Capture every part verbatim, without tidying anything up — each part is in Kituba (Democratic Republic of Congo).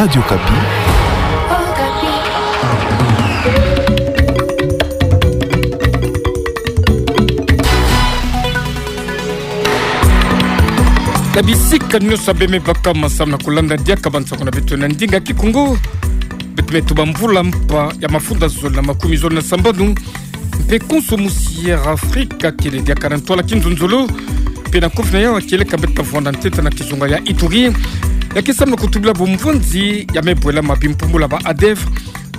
Radio Okapi. Na bisika nyonso beme baka, samu na kulanda diaka bansango na beto na ndinga Kikongo. Beto me tuba mvula mpa ya mafunda zole na makumi zole na sambanu. Mpe konso musi ya Afrika kele diaka na ntwala kinzonzolo. Mpe na kofi na yau, kieleka beto ta vwanda ntete na kizunga ya Ituri, ya ke samu na kutubila bumvonzi ya mebwela ma bimpumbula ba ADEF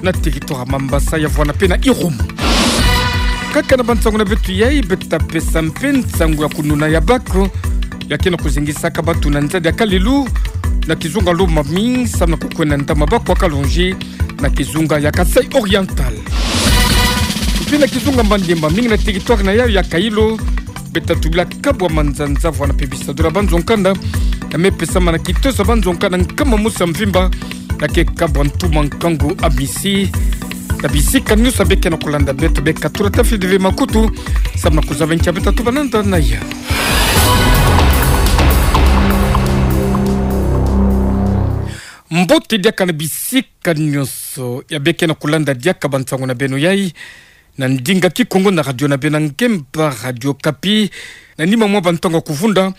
na territoire Mambasa ya vwanda mpe na Irumu. Kaka na bansango na beto yai, beto ta pesa mpe nsango ya kununa ya bac ya ke na kuzingisaka bato na nzadi ya kalelu na kizunga Lomami, samu na kukwenda na ndambu ya bac ya Kalonji na kizunga ya Kasaï Oriental. Mpe na kizunga Maniema, mingi na territoire na yau ya Kailo, beto ta tubila kabwa manzanza vwanda mpe bisadulu ya banzo-nkanda ya me pesama na kiteso ya banzo-nkanda nkama mosi ya mvimba, ya ke kabwa ntuma nkangu ya misi. Na bisika nyonso beke na kulanda beto, beka tula tafidi ve makutu, samu na kuzaba nki beto ta tuba nanda na yau. Mbote diaka na bisika nyonso ya beke na kulanda diaka bansango na beno yai na ndinga Kikongo na radio na beno ya ngemba, Radio Okapi. Na nima mwa bantangu ya kuvunda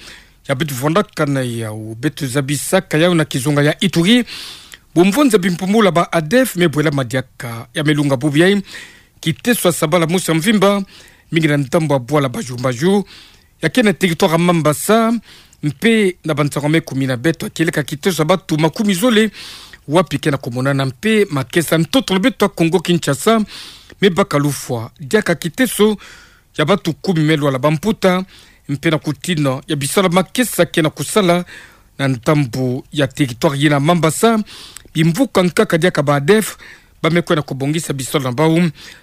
ya beto vwandaka na yau, beto zabisaka yau na kizunga ya Ituri bumvonzi ya bimpumbula ba ADEF mebwela ma diaka ya melunga bubu yai. Kiteso ya sabala mosi ya mvimba, mingi na ndambu ya bwala Baju Baju, ya ke na territoire ya Mambasa, mpe na bansango me kumina beto, kieleka kiteso ya bato makumi zole, wapi ke na kumonana mpe makesa ntoto na beto ya Kongo Kinshasa, me baka lufwa diaka kiteso ya bato kumi me lwala bamputa, mpe na kutina ya bisalu ya makesa ke na kusala na ndambu ya territoire yina Mambasa. Bimvuka nkaka diaka ba ADEF ba me kwenda kubongisa bisalu na bau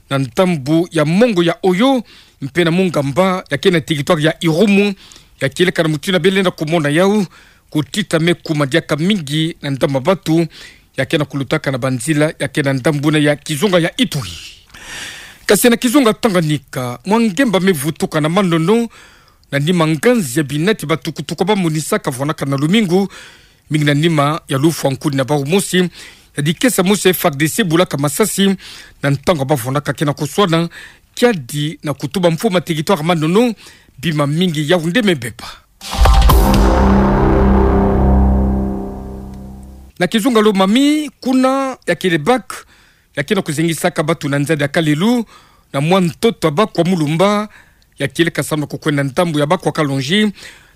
na ndambu ya mongo ya Oyo, mpe na Mungamba, ya ke na territoire ya Irumu, ya kieleka na mutindu bele na kumona yau, kutita me kuma diaka mingi na ndambu ya bato ya ke na kulutaka na banzila ya ke na ndambu na ya kizunga ya Ituri. Kasi na kizunga Tanganyika, mwa ngemba me vutuka na manono, na nima nganzi ya binati batukutuku ba monisaka vwandaka na lumingu, mingi na nima ya lufwa nkuni na bau mosi ya dikesa mosi ya FARDC bulaka masasi na ntangu ba vwandaka ke na kuswana, kiadi na kutuba mfumu ya territoire manono, bima mingi yau nde me beba. Na kizunga Lomami, kuna ya kele bac ya ke na kuzingisaka bato na nzadi ya kalelu, na mwa ntoto ya bac ya Mulumba, ya kieleka samu na kukwenda ndambu ya bac ya Kalonji,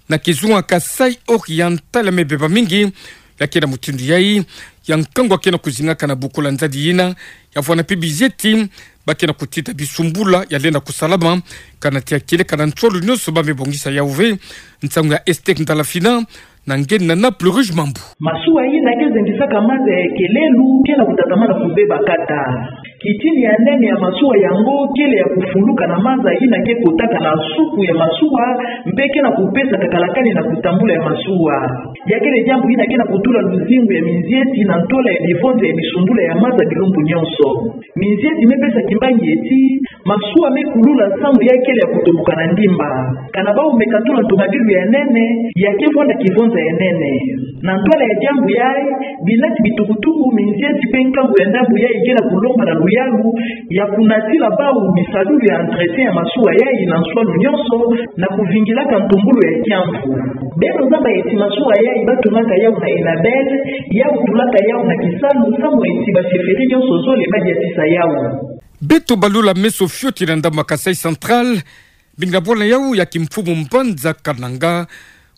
na kizunga Kasaï Oriental ya me beba mingi, ya ke na mutindu yai, ya nkangu ya ke na kuzingaka na bukula nzadi yina, ya vwanda mpe bizieti ba ke na kutita bisumbula ya lenda kusalama, kana ti ya kieleka na nswalu nyonso ba me bongisa yau ve. Nsangu ya Esther Ndalafina, na nge na Naples Rouge Mambu. Masuwa yina ke zingisaka maza ya kelelu ke na kutatamana kubeba kata. Kitini ya nene ya masuwa yango kele ya kufuluka na maza yina ke kotaka na suku ya masuwa, mpe ke na kupesa kakalakani na kutambula ya masuwa. Ya kele diambu yina ke na kutula luzingu ya minzieti na ntola ya bivonza ya bisumbula ya maza bilumbu nyonso. Minzieti me pesa kimbangi ti masuwa me kulula samu ya kele ya kutoboka na ndimba. Kana bau me katula ntomabilu ya nene, ya ke vwanda kivonza ya nene. Na ntwala ya diambu yai, binati bitukutuku, minzieti mpe nkangu ya ndambu yai ke na kulomba na luyalu ya kunatila bau bisalulu ya entretien ya masuwa yai na nswalu nyonso, na kuvingilaka ntumbulu ya kiamvu. Beno zaba ti masuwa yai ba tunaka yau na Enabel, yau tulaka yau na kisalu, samu ti ba chefferie nyonso zole ba diatisa yau. Beto balula meso fioti na ndambu ya Kasaï Central, bingi na bwala yau ya kimfumu mbanza Kananga,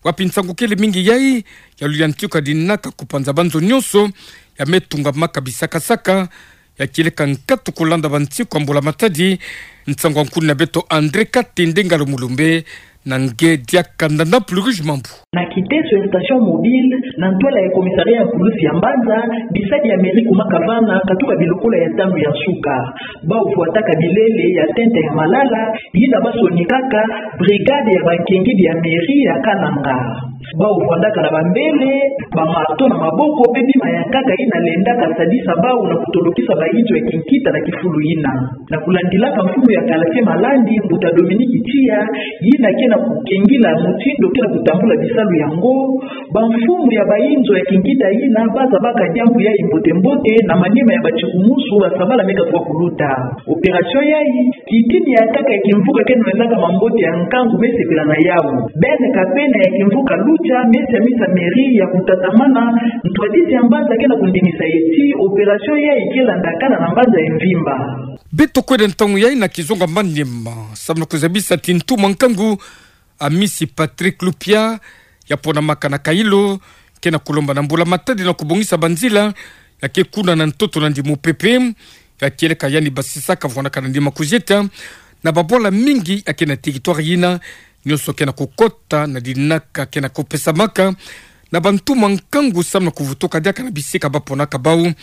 wapi nsangu kele mingi yai ya luyantiku ya dinaka kupanza banzo nyonso ya me tungamaka bisakasaka, ya kieleka nkatu kulanda bansiku ya mbula-matadi. Nsangu ya nkuni na beto André Katende Ngalo Mulumbe, na nge diaka na Naples Rouge Mambu. Na kiteso ya station mobile, na ntwala ya commissariat ya pulusi ya mbanza, bisadi ya mairie kumaka vana, katuka bilokola ya tanu ya nsuka. Bau vwataka bilele ya tente ya malala, yina ba sonikaka brigade ya bankengidi ya mairie ya Kananga. Bau vwandaka na bambele, bamato na maboko, mpe bima ya nkaka yina lendaka sadisa bau na kutolokisa bayizo ya kinkita na kifulu yina. Na kulandilaka mfumu ya quartier Malandi, mbuta Dominique Tia, yina ke Na kukengila mutindu ke na kutambula bisalu yango, bamfumu ya bainzo ya kingita yina bazabaka diambu yayi mbote-mbote na manima ya batikumusu basabala me katuka kuluta. Opération yayi, kitini ya nkaka ya kimvuka ke na lendaka mambote ya nkangu me sepela na yawu. Bene kapena ya kimvuka Lucha me siamisa mairie ya kutatamana ntwadisi ya mbanza ke na kundimisa ti opération yayi ke landakana na mbanza ya mvimba. Beto kwenda ntangu yayi na kizunga Maniema, samu na kuzabisa ti ntu mwa nkangu Amisi Patrick Lupia, ya ponamaka na Kailo, ke na kulomba na mbula-matadi na kubongisa banzila ya ke kuna na ntoto na ndi mupepe, ya kieleka yandi basisaka vwanaka na ndi makuzieta, na babwala mingi ya ke na territoire yina, nionso ke na kukota na dinaka ke na kupesamaka na bantu mwa nkangu samu na kuvutuka diaka na bisika ba ponaka bawu.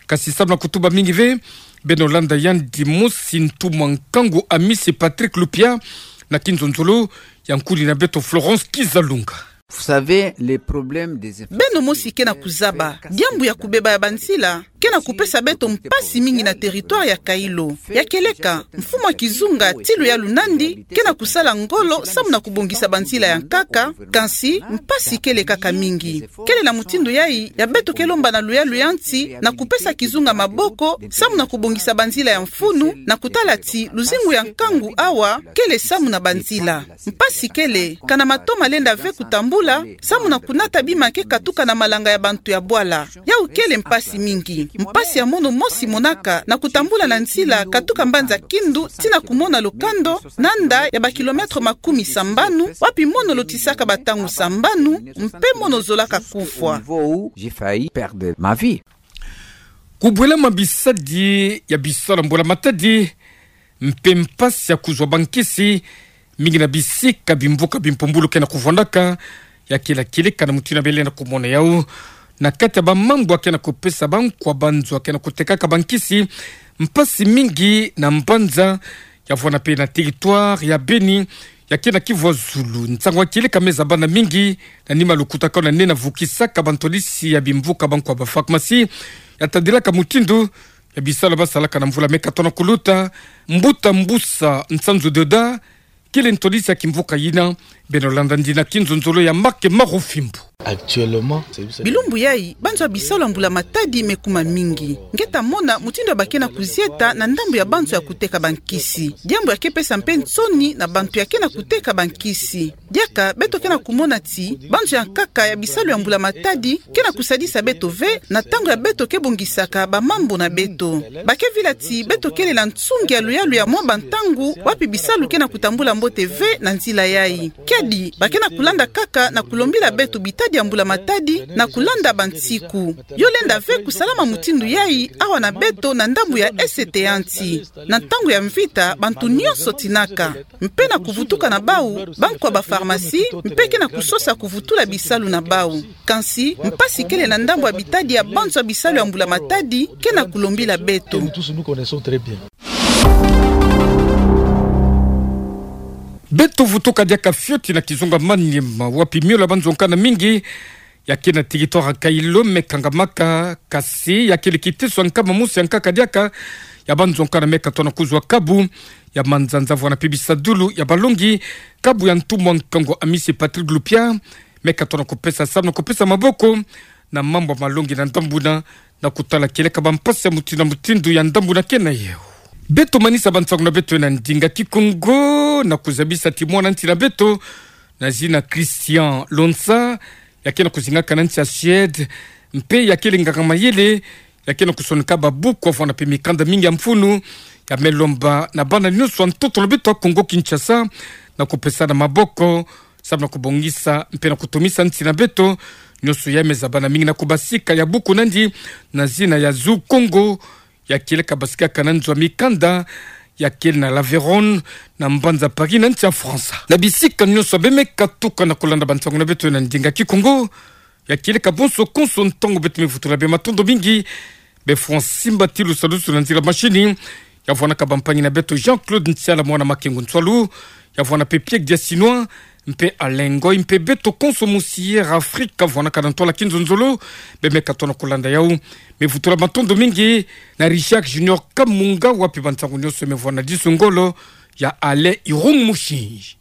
Kasi samu na kutuba mingi ve, beno landa yandi mosi ntu mwa nkangu Amisi Patrick Lupia na kinzonzolo ya nkuni na beto Florence Kizalunga. Vous savez, les problèmes des infrastructures. Beno mosi ke na kuzaba, diambu ya kubeba ya banzila ke na kupesa beto mpasi mingi na territoire ya Kailo. Ya kieleka, mfumu ya kizunga ti luyalu na ndi ke na kusala ngolo samu na kubongisa banzila ya nkaka, kasi mpasi kele kaka mingi. Kele na mutindu yayi ya beto ke lomba na luyalu ya nsi na kupesa kizunga maboko samu na kubongisa banzila ya mfunu, na kutala ti luzingu ya nkangu awa kele samu na banzila. Mpasi kele, kana mato malenda ve kutambula samu na kunata bima ke katuka na malanga ya bantu ya bwala. Yawu kele mpasi mingi. Mpasi ya mono mosi monaka na kutambula na nzila katuka mbanza Kindu tii na kumona Lokando, na nda ya ba kilomètre makumi sambanu, wapi mono lotisaka ba ntangu sambanu, mpe mono zolaka kufwa. J'ai failli perdre ma vie. Kubwelama bisadi ya bisalu ya mbula-matadi, mpe mpasi ya kuzwa bankisi, mingi na bisika bimvuka bimpumbulu ke na kuvwandaka, ya kila kieleka na mutindu ya bele na kumona yawu. Na kati ya bamambu ya ke na kupesa bankwa banzo ya ke na kutekaka bankisi, mpasi mingi na mbanza, ya vwanda mpe na territoire ya Beni, ya ke na Kivu ya zulu. Nsangu ya kieleka me zabana mingi, na nima lukutakanu na nde na vukisaka bantwadisi ya bimvuka bankwa ba pharmacie, ya tadilaka mutindu ya bisalu basalaka na mvula me katona kuluta. Mbuta Mbusa Nsanzu Deodat, kele ntwadisi ya kimvuka yina, beno landa ndi na kinzonzolo ya Marc Marufimbo. Actuellement, c'est... Bilumbu yayi, banzo ya bisalu ya mbula-matadi me kuma mingi. Nge ta mona mutindu ya ba ke na kuzieta na ndambu ya banzo ya kuteka bankisi. Diambu ya ke pesa mpe nsoni na bantu ya ke na kuteka bankisi. Diaka beto ke na kumona ti banzo ya nkaka ya bisalu ya mbula-matadi ke na kusadisa beto ve na ntangu ya beto ke bongisaka bamambu na beto. Ba ke vila ti beto kele na nsungi ya luyalu ya mwa bantangu wapi bisalu ke na kutambula mbote ve na nzila yayi. Kiadi, ba ke na kulanda kaka na kulombila beto bitadi ya mbula-matadi na kulanda bansiku. Yo lenda ve kusalama mutindu yayi awa na beto na ndambu ya este ya nsi. Na ntangu ya mvita, bantu nionso tinaka. Mpe na kuvutuka na bawu, bankwa ba pharmacie mpe ke na kusosa kuvutula bisalu na bawu. Kansi, mpasi kele na ndambu ya bitadi ya banzo ya bisalu ya mbula-matadi ke na kulombila beto. Beto vutuka diaka fioti na kizunga Maniema, wapi miole ya banzo nkana mingi ya ke na territoire ya Kailo me kangamaka, kasi ya kele kiteso ya nkama mosi ya nkaka diaka ya banzo nkana me katona kuzwa kabu ya manzanza vwanda mpe bisadulu ya balongi. Kabu ya ntu mwa nkangu Amisi Patrick Lupia me katona kupesa samu na kupesa maboko na mambu ya malongi na ndambu na, na kutala kieleka bampasi ya mutindu na mutindu ya ndambu na ke na yawu. Beto manisa bansangu na beto na ndinga Kikongo na kuzabisa ti mwana nsi na beto na zina Christian Lonsa, ya ke na kuzingaka na nsi ya Suède, mpe ya kele nganga-mayele, ya ke na kusonika babuku, vwanda mpe mikanda mingi ya mfunu, ya me lomba na bana nionso ya ntoto na beto ya Kongo-Kinshasa na kupesana maboko samu na kubongisa mpe na kutomisa nsi na beto. Nionso ya me zabana mingi na kubasika ya buku na ndi na zina ya Zu Kongo, ya kieleka basikaka na nzo ya mikanda ya kele na l'Aveyron, na mbanza Paris, na nsi ya Faransa. Na bisika nionso be me katuka na kulanda bansangu na beto na ndinga Kikongo, ya kieleka bonso konso ntangu, beto me vutula be matondo mingi be Francis Mbatilu Salusu na nzila mashini, ya vwandaka bampangi na beto Jean-Claude Nsiala, mwana Makengo Nsualu, ya vwanda mpe Pierre Diasinois, mpe Alain Ngoy, mpe beto konso mu Sierra Africa, vwandaka na ntwala kinzonzolo, be me katona kulanda yawu. Me vutula matondo mingi na Richard Junior Kamunga, wapi bansangu nionso me vwanda disu ngolo ya Alain Irung Mushinji.